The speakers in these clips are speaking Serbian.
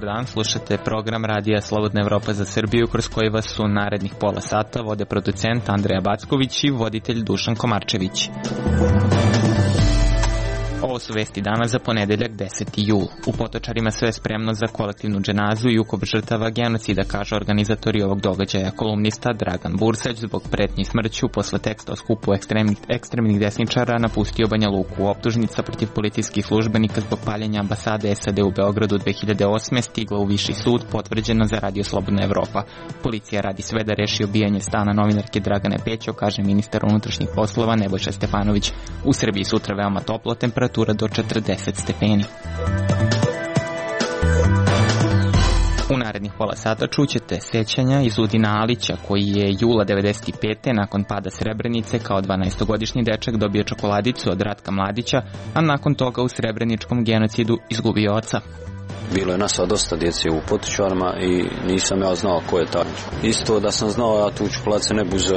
dan, slušate program Radija Slobodna Evropa za Srbiju, kroz koji vas u narednih pola sata vode producent Andreja Backović i voditelj Dušan Komarčević. Ovo su vesti dana za ponedeljak 10. jul. U Potočarima sve je spremno za kolektivnu dženazu i ukop žrtava genocida, kaže organizatori ovog događaja. Kolumnista Dragan Bursać zbog pretnji smrću posle teksta o skupu ekstremnih desničara napustio Banja Luku. Optužnica protiv policijskih službenika zbog paljenja ambasade SAD u Beogradu 2008. stigla u Viši sud, potvrđeno za Radio Slobodna Evropa. Policija radi sve da reši obijanje stana novinarke Dragane Pećo, kaže ministar unutrašnjih poslova Nebojša Stefanović. U Srbiji sutra veoma toplo, temperatura do 40 stepeni. U narednih pola sata čućete sećanja iz Udina Alića, koji je jula 95. nakon pada Srebrenice kao 12-godišnji dečak dobio čokoladicu od Ratka Mladića, a nakon toga u srebreničkom genocidu izgubio oca. Bilo je nas dosta djece u Potočarima i nisam ja znao ko je taj. Isto da sam znao, ja tu čokoladice ne buze.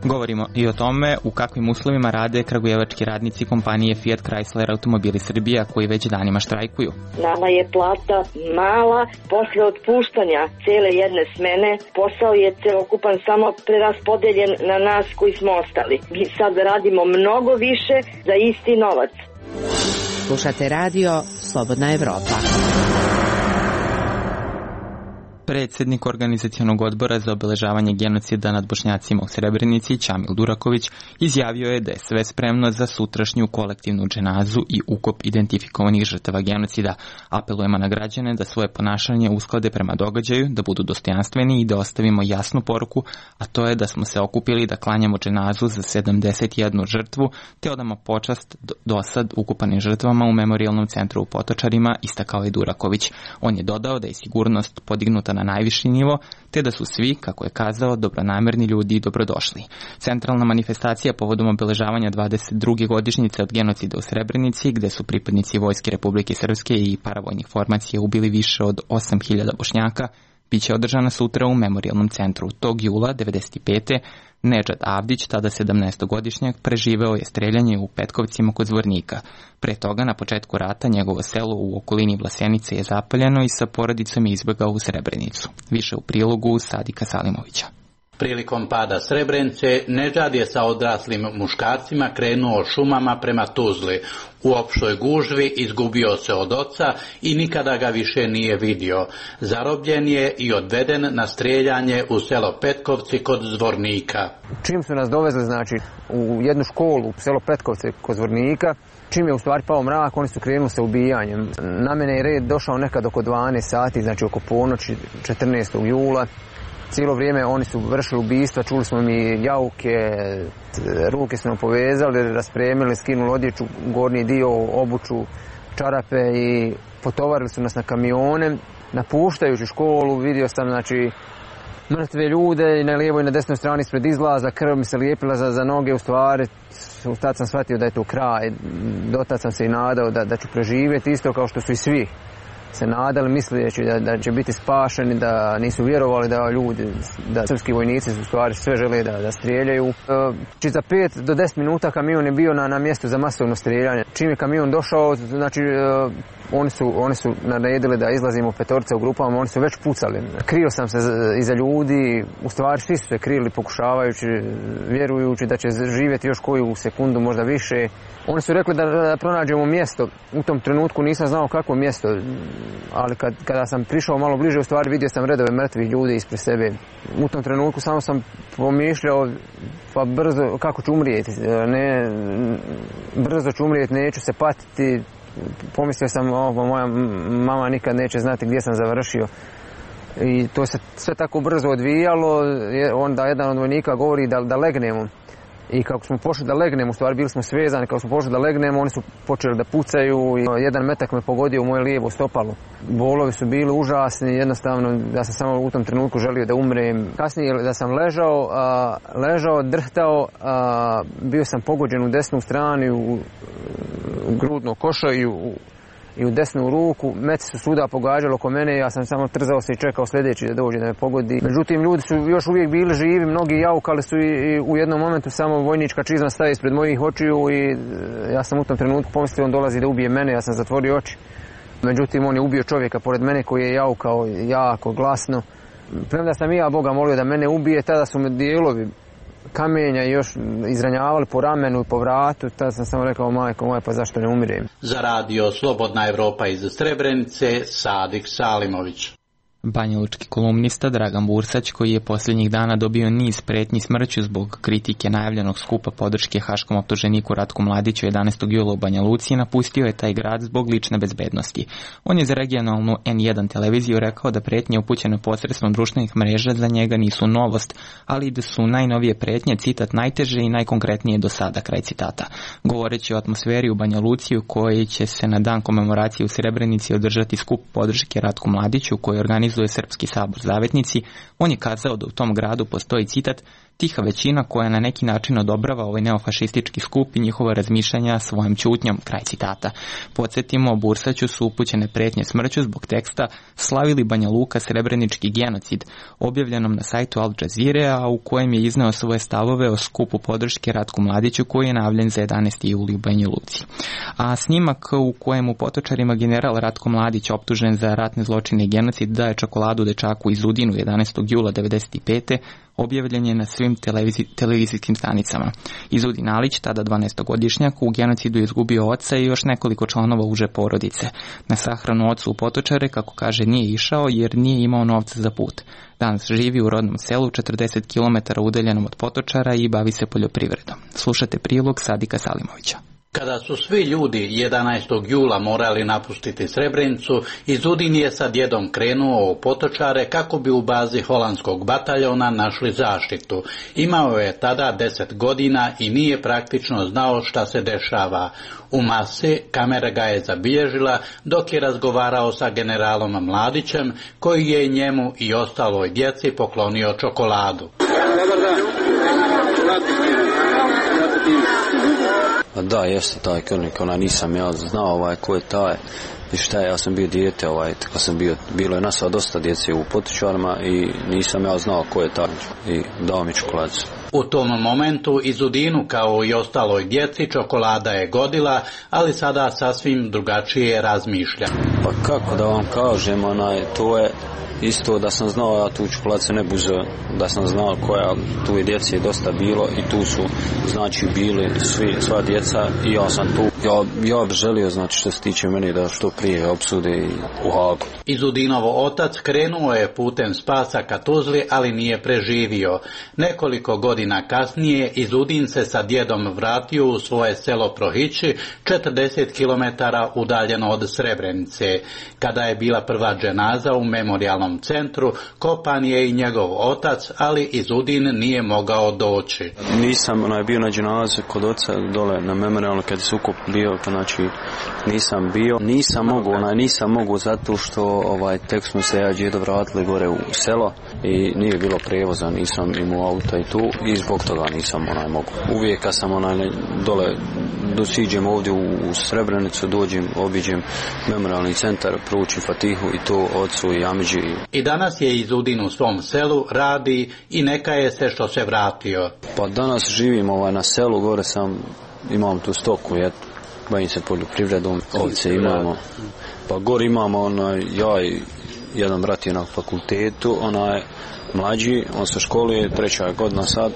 Govorimo i o tome u kakvim uslovima rade kragujevački radnici kompanije Fiat Chrysler Automobili Srbija, koji već danima štrajkuju. Nama je plata mala, posle otpuštanja cele jedne smene, posao je celokupan samo preraspodeljen na nas koji smo ostali. Mi sad radimo mnogo više za isti novac. Slušate radio Slobodna Evropa. Predsjednik organizacionog odbora za obeležavanje genocida nad Bošnjacima u Srebrenici, Ćamil Duraković, izjavio je da je sve spremno za sutrašnju kolektivnu dženazu i ukop identifikovanih žrtava genocida. Apelujemo na građane da svoje ponašanje usklade prema događaju, da budu dostojanstveni i da ostavimo jasnu poruku, a to je da smo se okupili da klanjamo dženazu za 71 žrtvu, te odamo počast dosad ukupanim žrtvama u memorijalnom centru u Potočarima, istakao je Duraković. On je dodao da je sigurnost podignuta na najviši nivo, te da su svi, kako je kazao, dobronamerni ljudi i dobrodošli. Centralna manifestacija povodom obeležavanja 22. godišnjice od genocida u Srebrenici, gde su pripadnici Vojske Republike Srpske i paravojnih formacija ubili više od 8.000 Bošnjaka, biće održana sutra u memorijalnom centru. Tog jula 95. Nedžad Avdić, tada 17-godišnjak, preživeo je streljanje u Petkovcima kod Zvornika. Pre toga, na početku rata, njegovo selo u okolini Vlasenice je zapaljeno i sa porodicom je izbegao u Srebrenicu. Više u prilogu Sadika Salimovića. Prilikom pada Srebrenice, Nedžad je sa odraslim muškarcima krenuo šumama prema Tuzli. U opštoj gužvi izgubio se od oca i nikada ga više nije vidio. Zarobljen je i odveden na streljanje u selo Petkovci kod Zvornika. Čim su nas dovezli, znači, u jednu školu u selo Petkovce kod Zvornika, čim je u stvari pao mrak, oni su krenuli sa ubijanjem. Na mene je red došao nekad oko 12 sati, znači oko ponoći 14. jula. Cijelo vrijeme oni su vršili ubistva, čuli smo mi jauke, ruke su nam povezali, raspremili, skinuli odjeću, gornji dio, obuću, čarape i potovarili su nas na kamione. Napuštajući školu vidio sam, znači, mrtve ljude i na lijevoj i na desnoj strani ispred izlaza, krv mi se lijepila za noge, u stvari tad sam shvatio da je to kraj. Dotad sam se i nadao da ću preživjeti, isto kao što su i svi se nadali, misleći da će biti spašeni, da nisu vjerovali da ljudi, da srpski vojnici u stvari sve žele da strijeljaju. Za 5 do 10 minuta kamion je bio na mjestu za masovno strijeljanje. Čim je kamion došao, znači oni su naredili da izlazimo petorice u grupama, oni su već pucali. Krio sam se iza ljudi, u stvari svi su se krili pokušavajući, vjerujući da će živjeti još koju sekundu, možda više. Oni su rekli da pronađemo mjesto. U tom trenutku nisam znao kakvo mjesto, ali kada sam prišao malo bliže, u stvari vidio sam redove mrtvih ljudi ispred sebe. U tom trenutku samo sam pomišljao, pa brzo, kako ću umrijeti, brzo ću umrijeti, neću se patiti. Pomislio sam, moja mama nikad neće znati gdje sam završio. I to se sve tako brzo odvijalo, onda jedan od vojnika govori da legnemo. I kako smo pošli da legnemo, u stvari bili smo svezani, kako smo pošli da legnemo, oni su počeli da pucaju i jedan metak me pogodio u moje lijevo stopalo. Bolovi su bili užasni, jednostavno ja sam samo u tom trenutku želio da umrem. Kasnije da sam ležao, drhtao, bio sam pogođen u desnu stranu, u grudno košo i u desnu ruku. Meci su svuda pogađali oko mene, ja sam samo trzao se i čekao sljedeći da dođe da me pogodi. Međutim, ljudi su još uvijek bili živi, mnogi jaukali su i u jednom momentu samo vojnička čizma staje ispred mojih očiju i ja sam u tom trenutku pomislio on dolazi da ubije mene, ja sam zatvorio oči. Međutim, on je ubio čovjeka pored mene koji je jaukao jako glasno. Premda sam i ja Boga molio da mene ubije, tada su me dijelovi kamenja još izranjavali po ramenu i po vratu, tada sam samo rekao, majko moja, pa zašto ne umirem. Za radio Slobodna Evropa iz Srebrenice, Sadik Salimović. Banjalučki kolumnista Dragan Bursać, koji je posljednjih dana dobio niz pretnji smrću zbog kritike najavljenog skupa podrške haškom optuženiku Ratku Mladiću 11. jula u Banja Luci, napustio je taj grad zbog lične bezbednosti. On je za regionalnu N1 televiziju rekao da pretnje upućene posredstvom društvenih mreža za njega nisu novost, ali da su najnovije pretnje, citat, najteže i najkonkretnije do sada, kraj citata. Govoreći o atmosferi u Banja Luci u kojoj će se na dan komemoracije u Srebrenici održati skup podrške Ratku Mladiću koji organizuje Srpski sabor Zavetnici, on je kazao da u tom gradu postoji, citat, tiha većina koja na neki način odobrava ovaj neofašistički skup i njihova razmišljanja svojom ćutnjom, kraj citata. Podsjetimo, Bursaću su upućene pretnje smrću zbog teksta Slavili Banja Luka srebrenički genocid, objavljenom na sajtu Al Jazeere, a u kojem je izneo svoje stavove o skupu podrške Ratku Mladiću koji je najavljen za 11. juli u Banja Luci. A snimak u kojem u Potočarima general Ratko Mladić, optužen za ratne zločine i genocid, daje čokoladu dečaku iz Udinu 11. jula 1995. objavljen je na svim televizijskim stanicama. Izudin Alić, tada 12-godišnjak, u genocidu je izgubio oca i još nekoliko članova uže porodice. Na sahranu ocu u Potočare, kako kaže, nije išao jer nije imao novca za put. Danas živi u rodnom selu 40 km udaljenom od Potočara i bavi se poljoprivredom. Slušate prilog Sadika Salimovića. Kada su svi ljudi 11. jula morali napustiti Srebrenicu, Izudin je sa djedom krenuo u Potočare kako bi u bazi holandskog bataljona našli zaštitu. Imao je tada 10 godina i nije praktično znao šta se dešava. U masi kamera ga je zabilježila dok je razgovarao sa generalom Mladićem, koji je njemu i ostaloj djeci poklonio čokoladu. Da, jeste taj krvnik, nisam ja znao ko je taj i šta je, ja sam bio dijete, kad sam bilo je nas dosta djece u Potočarima i nisam ja znao ko je taj i dao mi čokoladicu. U tom momentu Izudinu kao i ostaloj djeci čokolada je godila, ali sada sasvim drugačije razmišlja. Pa kako da vam kažem, to je isto da sam znao, ja tu čokoladicu ne buze, da sam znao koja, tu je djece dosta bilo i tu su, znači, bili sva djeca i ja sam tu. Ja bih želio, znači, što se tiče meni, da što prije opsude u Hagu. Izudinovo otac krenuo je putem spasa ka Tuzli, ali nije preživio. Nekoliko godina kasnije Izudin se sa djedom vratio u svoje selo Prohići, 40 km udaljeno od Srebrenice. Kada je bila prva dženaza u memorijalnom centru, kopan je i njegov otac, ali Izudin nije mogao doći. Nisam bio na dženazi kod oca dole na memorijalno kad se ukop bio, znači nisam bio. Nisam mogu zato što tek smo se ja djedo vratili gore u selo i nije bilo prijevoza, nisam imao auta i tu i zbog toga nisam mogu. Uvijek kad sam dole dosiđem ovdje u Srebrenicu, dođem, obiđem memorijalni centar, proučim Fatihu i to ocu i Amidži. I danas je Izudin u svom selu, radi i neka je se što se vratio. Pa danas živim na selu, gore imam tu stoku, bavim se poljoprivredom, ovce imamo. Pa gore imamo, ja i jedan brat je na fakultetu, je mlađi, on se školuje, 3. godina sad,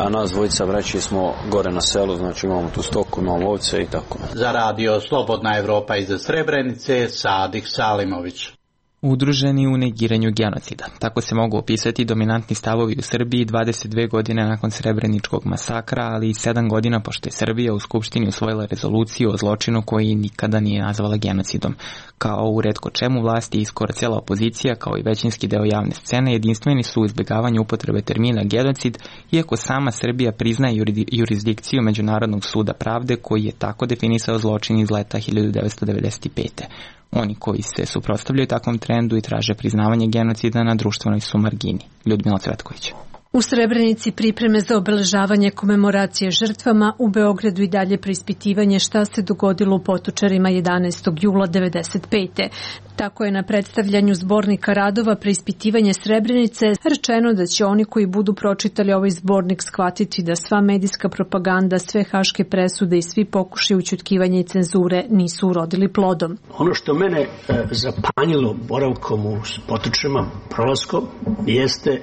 a nas dvojica braći smo gore na selu, znači imamo tu stoku, imamo ovce i tako. Za radio Slobodna Evropa iz Srebrenice, Sadik Salimović. Udruženi u negiranju genocida. Tako se mogu opisati dominantni stavovi u Srbiji 22 godine nakon Srebreničkog masakra, ali i 7 godina pošto je Srbija u Skupštini usvojila rezoluciju o zločinu koji nikada nije nazvala genocidom. Kao u retko čemu vlasti i skoro cijela opozicija, kao i većinski deo javne scene, jedinstveni su u izbjegavanju upotrebe termina genocid, iako sama Srbija priznaje jurisdikciju Međunarodnog suda pravde koji je tako definisao zločin iz leta 1995. Oni koji se suprotstavljaju takvom trendu i traže priznavanje genocida na društvenoj su margini. Ljudmila Cvetković. U Srebrenici pripreme za obeležavanje komemoracije žrtvama, u Beogradu i dalje preispitivanje šta se dogodilo u Potočarima 11. jula 1995. Tako je na predstavljanju zbornika radova preispitivanje Srebrenice rečeno da će oni koji budu pročitali ovaj zbornik shvatiti da sva medijska propaganda, sve haške presude i svi pokušaji ućutkivanja i cenzure nisu urodili plodom. Ono što mene zapanjilo boravkom u Potočarima, prolaskom, jeste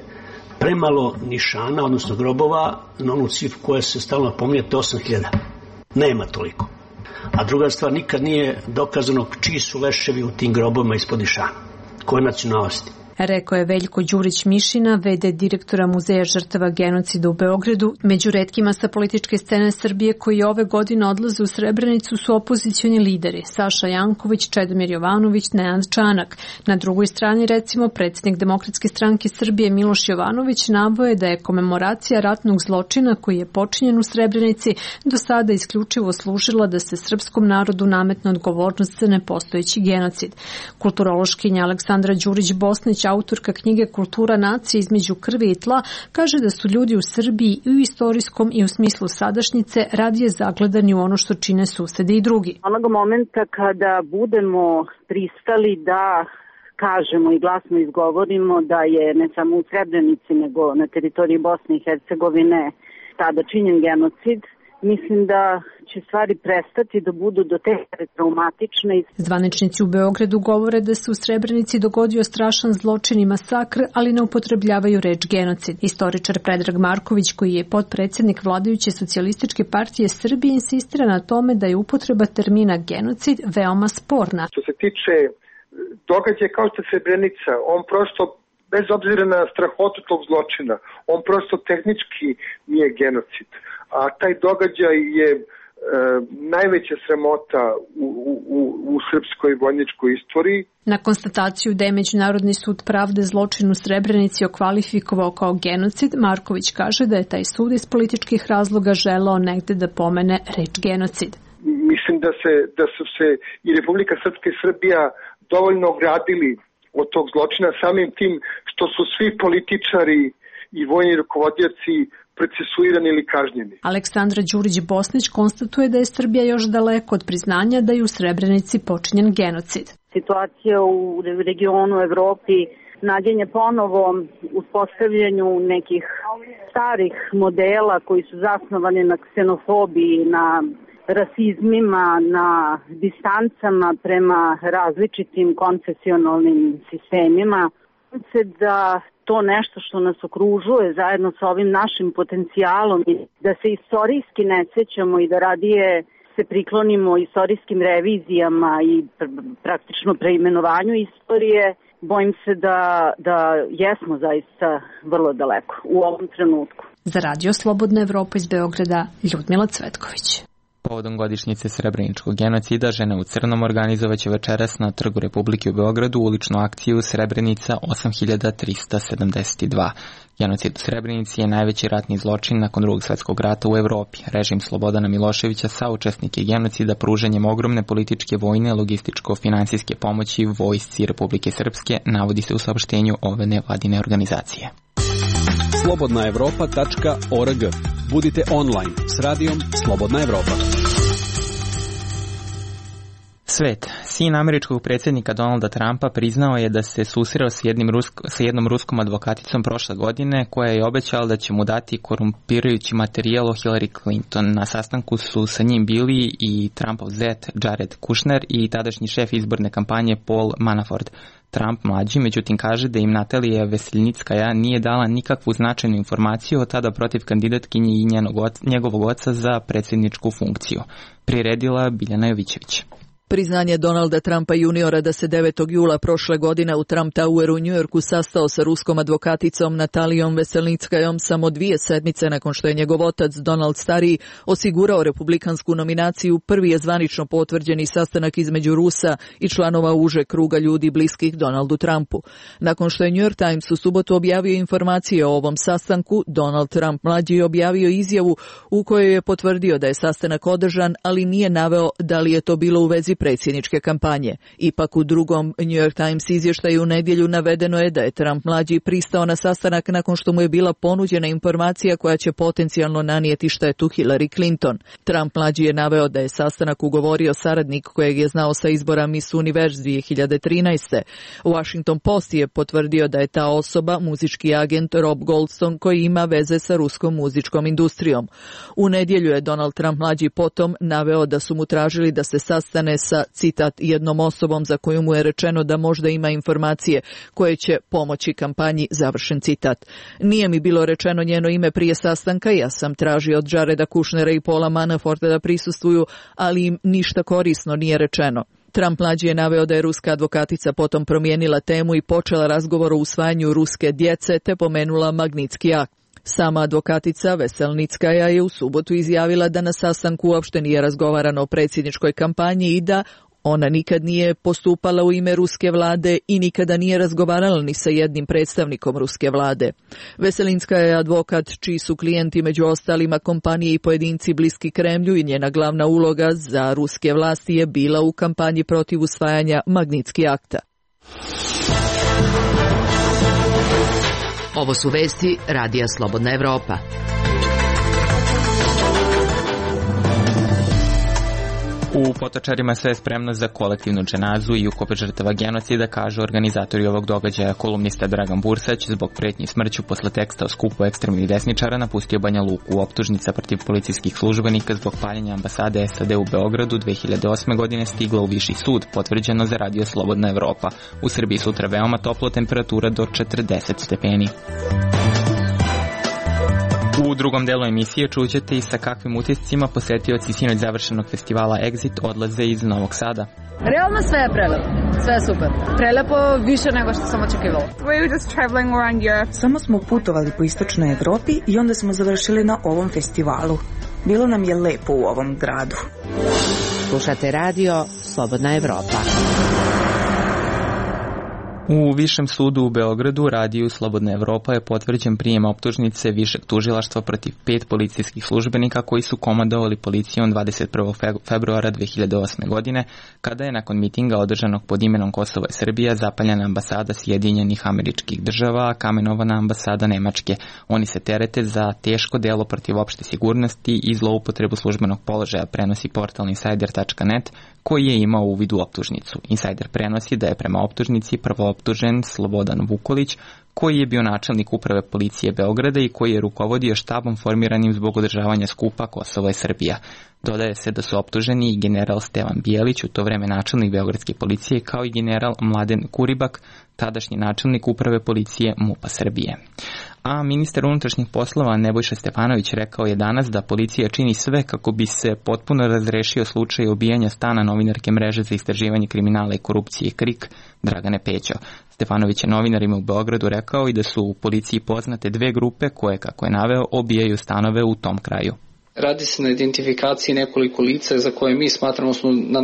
premalo nišana, odnosno grobova, na onu cifru koja se stalno pominje, 8.000. Nema toliko. A druga stvar, nikad nije dokazano čiji su leševi u tim grobovima ispod nišana. Koje nacionalnosti? Rekao je Veljko Đurić-Mišina, v.d. direktora Muzeja žrtava genocida u Beogradu. Među retkima sa političke scene Srbije koji ove godine odlaze u Srebrenicu su opozicioni lideri Saša Janković, Čedomir Jovanović, Nenad Čanak. Na drugoj strani, recimo, predsjednik Demokratske stranke Srbije Miloš Jovanović navoje da je komemoracija ratnog zločina koji je počinjen u Srebrenici do sada isključivo služila da se srpskom narodu nametne odgovornost za nepostojeći genocid. Kulturološkinja Aleksandra Đurić-Bosnić, autorka knjige Kultura nacije između krvi i tla, kaže da su ljudi u Srbiji i u istorijskom i u smislu sadašnjice radije zagledani u ono što čine susedi i drugi. Onog momenta kada budemo pristali da kažemo i glasno izgovorimo da je ne samo u Srebrenici nego na teritoriji Bosne i Hercegovine tada činjen genocid, mislim da će stvari prestati da budu do te traumatične. Zvaničnici u Beogradu govore da se u Srebrenici dogodio strašan zločin i masakr, ali ne upotrebljavaju reč genocid. Istoričar Predrag Marković, koji je potpredsjednik vladajuće Socijalističke partije Srbije, insistira na tome da je upotreba termina genocid veoma sporna. Što se tiče događaja kao što je Srebrenica, on prosto, bez obzira na strahotu tog zločina, on prosto tehnički nije genocid. A taj događaj je najveća sramota u srpskoj vojničkoj istoriji. Na konstataciju da je Međunarodni sud pravde zločin u Srebrenici okvalifikovao kao genocid, Marković kaže da je taj sud iz političkih razloga želeo negde da pomene reč genocid. Mislim da su se i Republika Srpska i Srbija dovoljno ogradili od tog zločina samim tim što su svi političari i vojni rukovodioci procesuirani ili kažnjeni. Aleksandra Đurić-Bosnić konstatuje da je Srbija još daleko od priznanja da je u Srebrenici počinjen genocid. Situacija u regionu Evropi naginje ponovo uspostavljanju nekih starih modela koji su zasnovani na ksenofobiji, na rasizmima, na distancama prema različitim konfesionalnim sistemima. Da to nešto što nas okružuje zajedno sa ovim našim potencijalom i da se istorijski ne sećamo i da radije se priklonimo istorijskim revizijama i praktično preimenovanju istorije, bojim se da jesmo zaista vrlo daleko u ovom trenutku. Za Radio Slobodna Evropa iz Beograda, Ljudmila Cvetković. Povodom godišnjice Srebreničkog genocida, žene u crnom organizovaće večeras na Trgu Republike u Beogradu uličnu akciju Srebrenica 8372. Genocid u Srebrenici je najveći ratni zločin nakon Drugog svjetskog rata u Evropi. Režim Slobodana Miloševića saučesnik je genocida pružanjem ogromne političke, vojne, logističko-finansijske pomoći vojsci Republike Srpske, navodi se u saopštenju ove nevladine organizacije. slobodnaevropa.org. Budite online s radijom Slobodna Evropa. Svet. Sin američkog predsjednika Donalda Trumpa priznao je da se susreo sa jednom ruskom advokaticom prošle godine koja je obećala da će mu dati korumpirajući materijal o Hillary Clinton. Na sastanku su sa njim bili i Trumpov zet Jared Kushner i tadašnji šef izborne kampanje Paul Manafort. Trump mlađi, međutim, kaže da im Natalija Veselnickaja nije dala nikakvu značajnu informaciju od tada protiv kandidatkinje i njegovog oca za predsjedničku funkciju. Priredila Biljana Jovićević. Priznanje Donalda Trumpa juniora da se 9. jula prošle godine u Trump Toweru u Njujorku sastao sa ruskom advokaticom Natalijom Veselnickajom samo 2 sedmice nakon što je njegov otac Donald stariji osigurao republikansku nominaciju, prvi je zvanično potvrđeni sastanak između Rusa i članova uže kruga ljudi bliskih Donaldu Trumpu. Nakon što je New York Times u subotu objavio informacije o ovom sastanku, Donald Trump mlađi je objavio izjavu u kojoj je potvrdio da je sastanak održan, ali nije naveo da li je to bilo u vezi predsjedničke kampanje. Ipak u drugom New York Times izvještaju u nedjelju navedeno je da je Trump mlađi pristao na sastanak nakon što mu je bila ponuđena informacija koja će potencijalno nanijeti štetu Hillary Clinton. Trump mlađi je naveo da je sastanak ugovorio saradnik kojeg je znao sa izbora Miss Universe 2013. Washington Post je potvrdio da je ta osoba muzički agent Rob Goldstone koji ima veze sa ruskom muzičkom industrijom. U nedjelju je Donald Trump mlađi potom naveo da su mu tražili da se sastane sa, citat, jednom osobom za koju mu je rečeno da možda ima informacije koje će pomoći kampanji, završen citat. Nije mi bilo rečeno njeno ime prije sastanka, ja sam tražio od Jareda Kushnera i Paula Manaforta da prisustvuju, ali im ništa korisno nije rečeno. Trump mlađi je naveo da je ruska advokatica potom promijenila temu i počela razgovor o usvajanju ruske djece te pomenula Magnitski akt. Sama advokatica Veselnickaja je u subotu izjavila da na sastanku uopšte nije razgovarano o predsjedničkoj kampanji i da ona nikad nije postupala u ime ruske vlade i nikada nije razgovarala ni sa jednim predstavnikom ruske vlade. Veselinska je advokat čiji su klijenti među ostalima kompanije i pojedinci bliski Kremlju i njena glavna uloga za ruske vlasti je bila u kampanji protiv usvajanja Magnitski akta. Ovo su vesti Radija Slobodna Evropa. U Potočarima sve je spremno za kolektivnu dženazu i ukop žrtava genocida, kaže organizatori ovog događaja. Kolumnista Dragan Bursać zbog pretnji smrću posle teksta o skupu ekstremnih desničara napustio Banja Luku. Optužnica protiv policijskih službenika zbog paljenja ambasade SAD u Beogradu 2008. godine stigla u Viši sud, potvrđeno za Radio Slobodna Evropa. U Srbiji sutra veoma toplo, temperatura do 40 stepeni. U drugom delu emisije čućete i sa kakvim utiscima posetioci sinoć završenog festivala Exit odlaze iz Novog Sada. Realno sve je prelepo, sve je super. Prelepo više nego što sam očekivala. Samo smo putovali po istočnoj Evropi i onda smo završili na ovom festivalu. Bilo nam je lepo u ovom gradu. Slušate radio Slobodna Evropa. U Višem sudu u Beogradu Radiju Slobodna Evropa je potvrđen prijem optužnice Višeg tužilaštva protiv 5 policijskih službenika koji su komandovali policijom 21. februara 2008. godine, kada je nakon mitinga održanog pod imenom Kosovo i Srbija zapaljena ambasada Sjedinjenih Američkih Država, a kamenovana ambasada Nemačke. Oni se terete za teško delo protiv opšte sigurnosti i zloupotrebu službenog položaja, prenosi portal Insider.net, koji je imao uvid u optužnicu. Insider prenosi da je prema optužnici prvooptužen Slobodan Vukolić, koji je bio načelnik uprave policije Beograda i koji je rukovodio štabom formiranim zbog održavanja skupa Kosovo i Srbija. Dodaje se da su optuženi i general Stevan Bijelić, u to vreme načelnik beogradske policije, kao i general Mladen Kuribak, tadašnji načelnik uprave policije MUP-a Srbije. A ministar unutrašnjih poslova Nebojša Stefanović rekao je danas da policija čini sve kako bi se potpuno razrešio slučaj ubijanja stana novinarke mreže za istraživanje kriminala i korupcije KRIK Dragane Pećo. Stefanović je novinarima u Beogradu rekao i da su u policiji poznate 2 grupe koje, kako je naveo, obijaju stanove u tom kraju. Radi se na identifikaciji nekoliko lica za koje mi smatramo smo na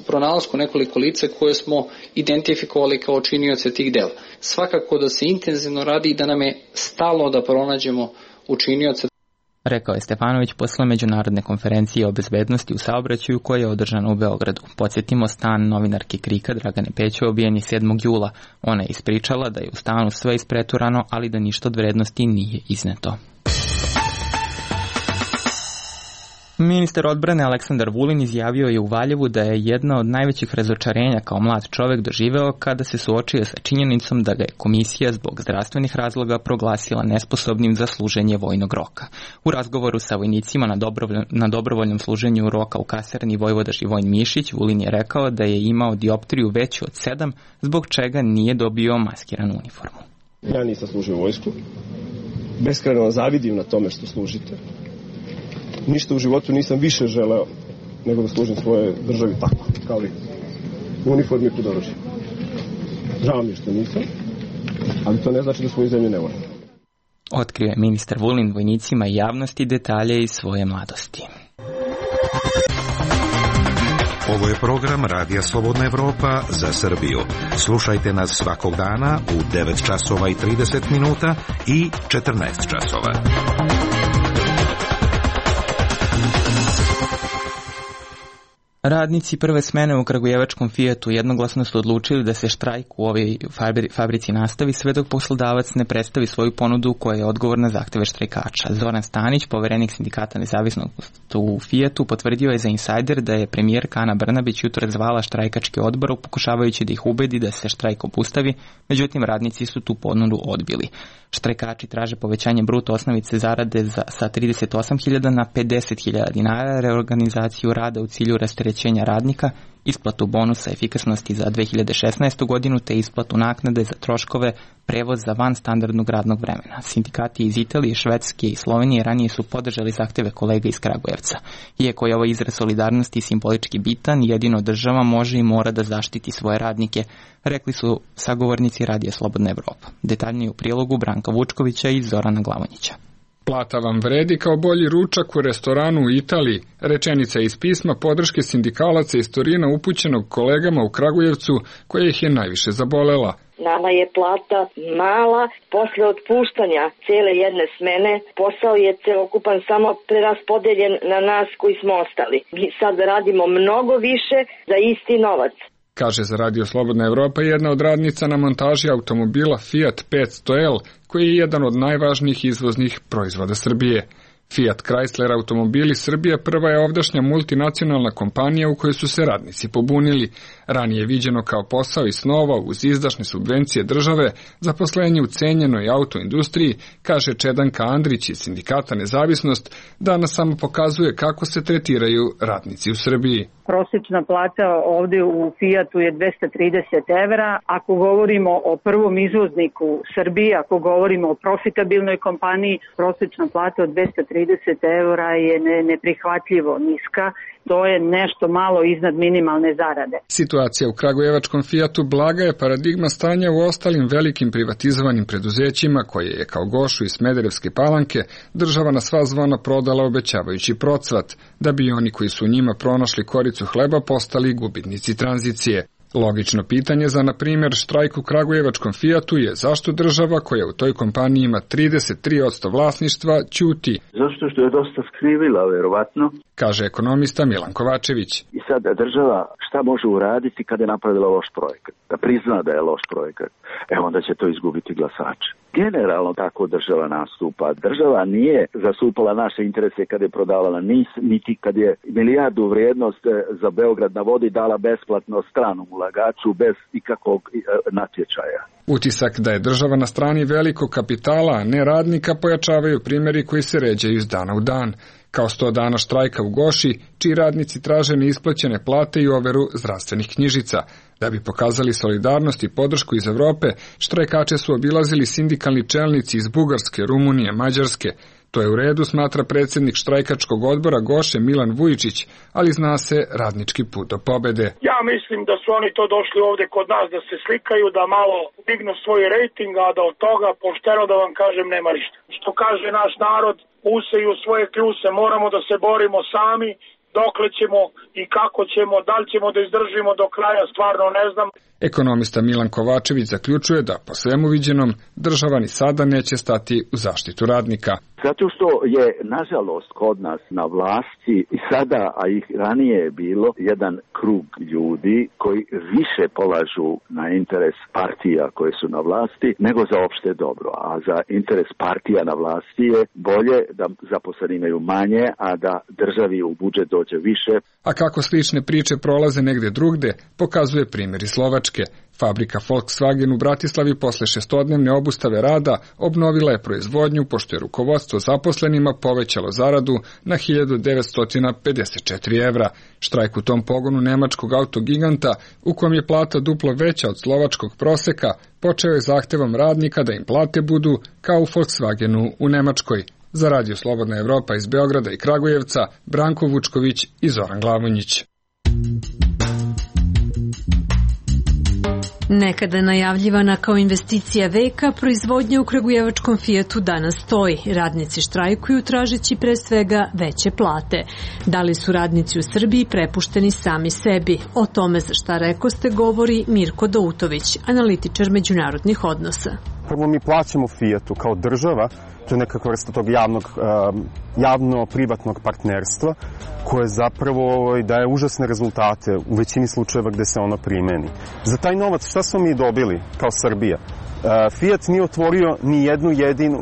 pronalasku nekoliko lica koje smo identifikovali kao činioce tih dela. Svakako da se intenzivno radi i da nam je stalo da pronađemo učinioce. Rekao je Stefanović posle međunarodne konferencije o bezbednosti u saobraćaju koja je održana u Beogradu. Podsjetimo, stan novinarke KRIK-a Dragane Pećo obijen je 7. jula. Ona je ispričala da je u stanu sve ispreturano, ali da ništa od vrednosti nije izneto. Ministar odbrane Aleksandar Vulin izjavio je u Valjevu da je jedna od najvećih razočarenja kao mlad čovek doživeo kada se suočio sa činjenicom da ga je komisija zbog zdravstvenih razloga proglasila nesposobnim za služenje vojnog roka. U razgovoru sa vojnicima na dobrovoljnom služenju roka u kasarni Vojvoda Živojin Mišić, Vulin je rekao da je imao dioptriju veću od 7, zbog čega nije dobio maskiranu uniformu. Ja nisam služio vojsku. Beskrajno vam zavidim na tome što služite. Ništa u životu nisam više želeo nego da služim svoje državi tako, kao vi. U uniformi pod oružjem. Žao mi je što nisam, ali to ne znači da svoju zemlju ne volim. Otkrio je ministar Vulin vojnicima i javnosti detalje iz svoje mladosti. Ovo je program Radija Slobodna Evropa za Srbiju. Slušajte nas svakog dana u 9 časova i 30 minuta i 14 časova. Radnici prve smene u kragujevačkom Fijatu jednoglasno su odlučili da se štrajk u ovoj fabrici nastavi sve dok poslodavac ne predstavi svoju ponudu koja je odgovor na zahteve štrajkača. Zoran Stanić, poverenik sindikata nezavisnog u Fijatu, potvrdio je za Insider da je premijerka Ana Brnabić jutro zvala štrajkački odbor pokušavajući da ih ubedi da se štrajk obustavi, međutim radnici su tu ponudu odbili. Štrajkači traže povećanje bruto osnovice zarade sa 38.000 na 50.000 dinara, reorganizaciju rada u cilju rasterećenja radnika, isplatu bonusa efikasnosti za 2016. godinu te isplatu naknade za troškove prevoz za van standardnog radnog vremena. Sindikati iz Italije, Švedske i Slovenije ranije su podržali zahteve kolega iz Kragujevca. Iako je ovaj izraz solidarnosti simbolički bitan, jedino država može i mora da zaštiti svoje radnike, rekli su sagovornici Radija Slobodna Evropa. Detaljnije u prilogu Branka Vučkovića i Zorana Glavonjića. Plata vam vredi kao bolji ručak u restoranu u Italiji, rečenica iz pisma podrške sindikalaca iz Torina upućenog kolegama u Kragujevcu koja ih je najviše zabolela. Nama je plata mala, posle otpuštanja cijele jedne smene, posao je celokupan samo preraspodeljen na nas koji smo ostali. Mi sad radimo mnogo više za isti novac. Kaže za Radio Slobodna Evropa jedna od radnica na montaži automobila Fiat 500L, koji je jedan od najvažnijih izvoznih proizvoda Srbije. Fiat Chrysler automobili Srbije prva je ovdašnja multinacionalna kompanija u kojoj su se radnici pobunili. Ranije viđeno kao posao iz snova uz izdašne subvencije države, zaposlenje u cenjenoj autoindustriji, kaže Čedanka Andrić iz sindikata Nezavisnost, danas samo pokazuje kako se tretiraju radnici u Srbiji. Prosječna plata ovdje u Fiatu je 230 evra. Ako govorimo o prvom izvozniku Srbije, ako govorimo o profitabilnoj kompaniji, prosječna plata od 230 evra je neprihvatljivo niska. To je nešto malo iznad minimalne zarade. Situacija u kragujevačkom Fijatu blaga je paradigma stanja u ostalim velikim privatizovanim preduzećima koje je kao Gošu i Smederevske Palanke država na sva zvona prodala obećavajući procvat, da bi oni koji su u njima pronašli koricu hleba postali gubitnici tranzicije. Logično pitanje za, na primjer, štrajk u kragujevačkom Fijatu je zašto država koja u toj kompaniji ima 33% vlasništva ćuti. Zašto što je dosta skrivila, verovatno, kaže ekonomista Milan Kovačević. I sad država šta može uraditi kada je napravila loš projekat? Da prizna da je loš projekat. Onda će to izgubiti glasače. Generalno tako država nastupa. Država nije zastupala naše interese kad je prodavala NIS, niti kad je milijardu vrijednost za Beograd na vodi dala besplatno stranom ulagaču bez ikakvog natječaja. Utisak da je država na strani velikog kapitala, a ne radnika, pojačavaju primjeri koji se ređaju iz dana u dan. Kao 100 dana štrajka u Goši, čiji radnici traže neisplaćene plate i overu zdravstvenih knjižica. Da bi pokazali solidarnost i podršku iz Evrope, štrajkače su obilazili sindikalni čelnici iz Bugarske, Rumunije, Mađarske. To je u redu, smatra predsjednik štrajkačkog odbora Goše Milan Vujičić, ali zna se radnički put do pobede. Ja mislim da su oni to došli ovdje kod nas da se slikaju, da malo dignu svoj rejting, a da od toga, pošteno da vam kažem, nema ništa. Što kaže naš narod, useju svoje kljuse, moramo da se borimo sami, dokle ćemo i kako ćemo, da li ćemo da izdržimo do kraja, stvarno ne znam. Ekonomista Milan Kovačević zaključuje da po svemu viđenom država ni sada neće stati u zaštitu radnika. Zato što je, nažalost, kod nas na vlasti i sada, a ih ranije je bilo, jedan krug ljudi koji više polažu na interes partija koje su na vlasti nego za opšte dobro. A za interes partija na vlasti je bolje da zaposleni imaju manje, a da državi u budžet dođe više. A kako slične priče prolaze negde drugde, pokazuje primjer iz Slovačke. Fabrika Volkswagen u Bratislavi posle 6-dnevne obustave rada obnovila je proizvodnju pošto je rukovodstvo zaposlenima povećalo zaradu na 1954 evra. Štrajk u tom pogonu nemačkog autogiganta, u kojem je plata duplo veća od slovačkog proseka, počeo je zahtevom radnika da im plate budu kao u Volkswagenu u Nemačkoj. Za Radio Slobodna Evropa iz Beograda i Kragujevca, Branko Vučković i Zoran Glavonjić. Nekada najavljivana kao investicija veka, proizvodnja u kragujevačkom Fijatu danas stoji. Radnici štrajkuju tražeći pre svega veće plate. Da li su radnici u Srbiji prepušteni sami sebi? O tome za šta rekoste govori Mirko Doutović, analitičar međunarodnih odnosa. Prvo mi plaćamo Fijatu kao država to je nekakva vrsta tog javno-privatnog partnerstva koje zapravo daje užasne rezultate u većini slučajeva gde se ono primeni. Za taj novac šta smo mi dobili kao Srbija? Fiat nije otvorio ni jednu jedinu,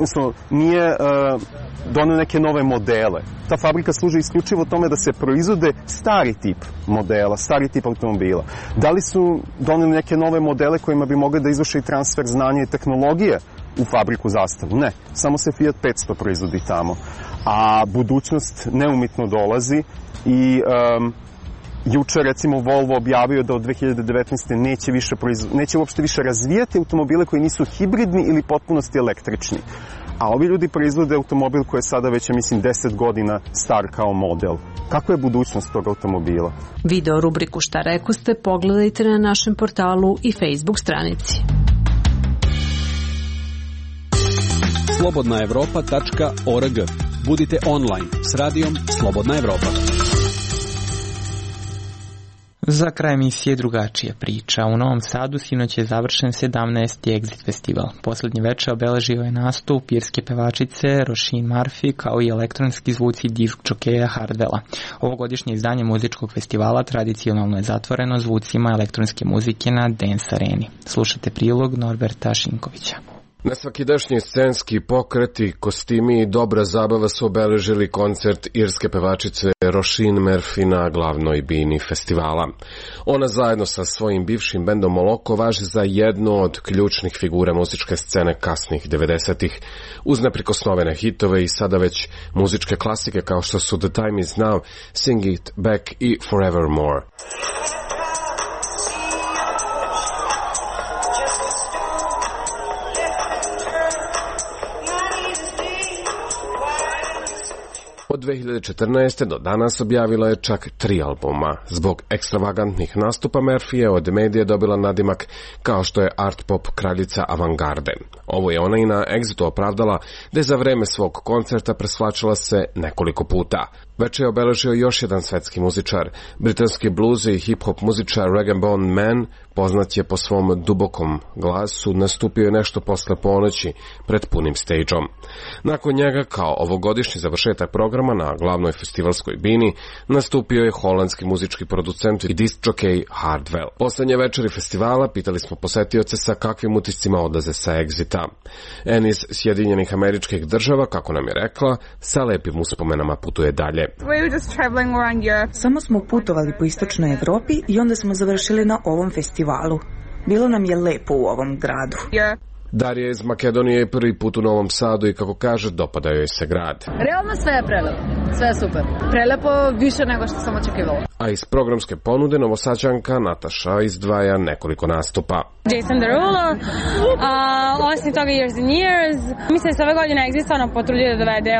nije doneo neke nove modele. Ta fabrika služi isključivo tome da se proizvode stari tip modela, stari tip automobila. Da li su doneli neke nove modele kojima bi mogli da izvrše i transfer znanja i tehnologije u fabriku Zastavu? Ne, samo se Fiat 500 proizvodi tamo. A budućnost neumitno dolazi i juče recimo Volvo objavio da od 2019. neće uopšte više razvijati automobile koji nisu hibridni ili potpunosti električni. A ovi ljudi proizvode automobil koji je sada već, mislim, 10 godina star kao model. Kako je budućnost tog automobila? Video rubriku Šta rekoste pogledajte na našem portalu i Facebook stranici. slobodnaevropa.org. Budite online s radijom Slobodna Evropa. Za kraj emisije drugačija priča. U Novom Sadu sinoć je završen 17. Exit festival. Poslednji večer obeležio je nastup irske pevačice Roisin Murphy kao i elektronski zvuci disk džokeja Hardwella. Ovogodišnje izdanje muzičkog festivala tradicionalno je zatvoreno zvucima elektronske muzike na Dance Areni. Slušate prilog Norberta Šinkovića. Nesvakidašnji scenski pokreti, kostimi i dobra zabava su obeležili koncert irske pevačice Roisin Murphy na glavnoj bini festivala. Ona zajedno sa svojim bivšim bendom Moloko važi za jednu od ključnih figura muzičke scene kasnih 90-ih, uz neprikosnovene hitove i sada već muzičke klasike kao što su The Time Is Now, Sing It Back i Forevermore. Od 2014. do danas objavila je čak 3 albuma. Zbog ekstravagantnih nastupa Murphy je od medija dobila nadimak kao što je art pop kraljica avangarde. Ovo je ona i na Exitu opravdala da je za vreme svog koncerta presvlačila se nekoliko puta. Večer je obeležio još jedan svetski muzičar. Britanski blues i hip-hop muzičar Rag'n'Bone Man, poznat je po svom dubokom glasu, nastupio je nešto posle ponoći pred punim stageom. Nakon njega, kao ovogodišnji završetak programa na glavnoj festivalskoj bini, nastupio je holandski muzički producent i disc jockey Hardwell. Poslednje večeri festivala pitali smo posetioce sa kakvim utiscima odlaze sa Exita. En iz Sjedinjenih Američkih Država, kako nam je rekla, sa lepim uspomenama putuje dalje. Samo smo putovali po istočnoj Evropi i onda smo završili na ovom festivalu. Bilo nam je lepo u ovom gradu. Darija iz Makedonije je prvi put u Novom Sadu i kako kaže, dopada joj se grad. Realno sve je prelepo, sve je super. Prelepo više nego što sam očekivala. A iz programske ponude Novosađanka Nataša izdvaja nekoliko nastupa. Jason Derulo, osim toga Years and Years. Mislim da se ove godine Exit stvarno potrudio da dovede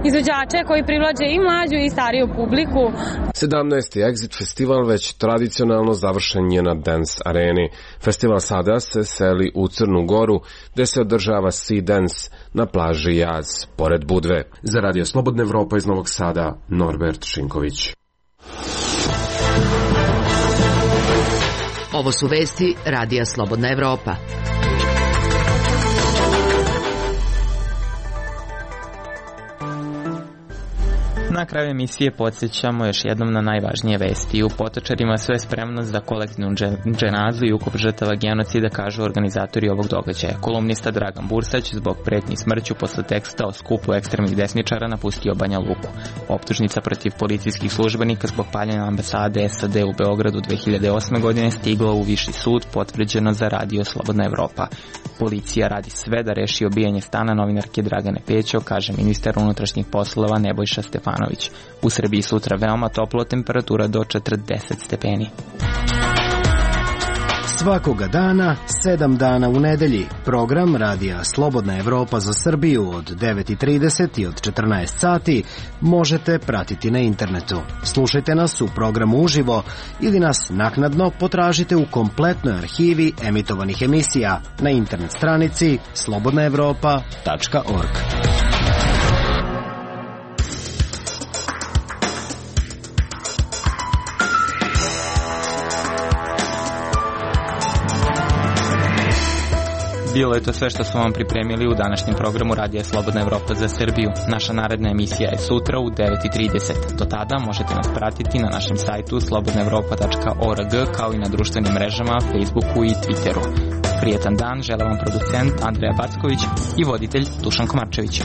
izvođače koji privlače i mlađu i stariju publiku. 17. Exit festival već tradicionalno završen je na Dance Areni. Festival sada se seli u Crnu Goru, gde se održava Sea Dance na plaži Jaz, pored Budve. Za Radio Slobodna Evropa iz Novog Sada, Norbert Šinković. Ovo su vesti Radija Slobodna Evropa. Na kraju emisije podsjećamo još jednom na najvažnije vesti. U Potočarima sve spremno za kolektivnu dženazu i ukop žrtava genocida, kažu organizatori ovog događaja. Kolumnista Dragan Bursać zbog pretnji smrću posle teksta o skupu ekstremnih desničara napustio Banja Luku. Optužnica protiv policijskih službenika zbog paljenja ambasade SAD u Beogradu 2008. godine stigla u Viši sud, potvrđeno za Radio Slobodna Evropa. Policija radi sve da reši obijanje stana novinarke Dragane Pećo, kaže ministar unutrašnjih poslova Nebojša Stefanović. U Srbiji sutra veoma toplo, temperatura do 40 stepeni. Svakoga dana, 7 dana u nedelji. Program Radija Slobodna Evropa za Srbiju od 9:30 i od 14 sati možete pratiti na internetu. Slušajte nas u programu uživo ili nas naknadno potražite u kompletnoj arhivi emitovanih emisija na internet stranici slobodnaevropa.org. Bilo je to sve što smo vam pripremili u današnjem programu Radija Slobodna Evropa za Srbiju. Naša naredna emisija je sutra u 9:30. Do tada možete nas pratiti na našem sajtu slobodnaevropa.org kao i na društvenim mrežama, Facebooku i Twitteru. Prijetan dan žele vam producent Andreja Backović i voditelj Dušan Komarčević.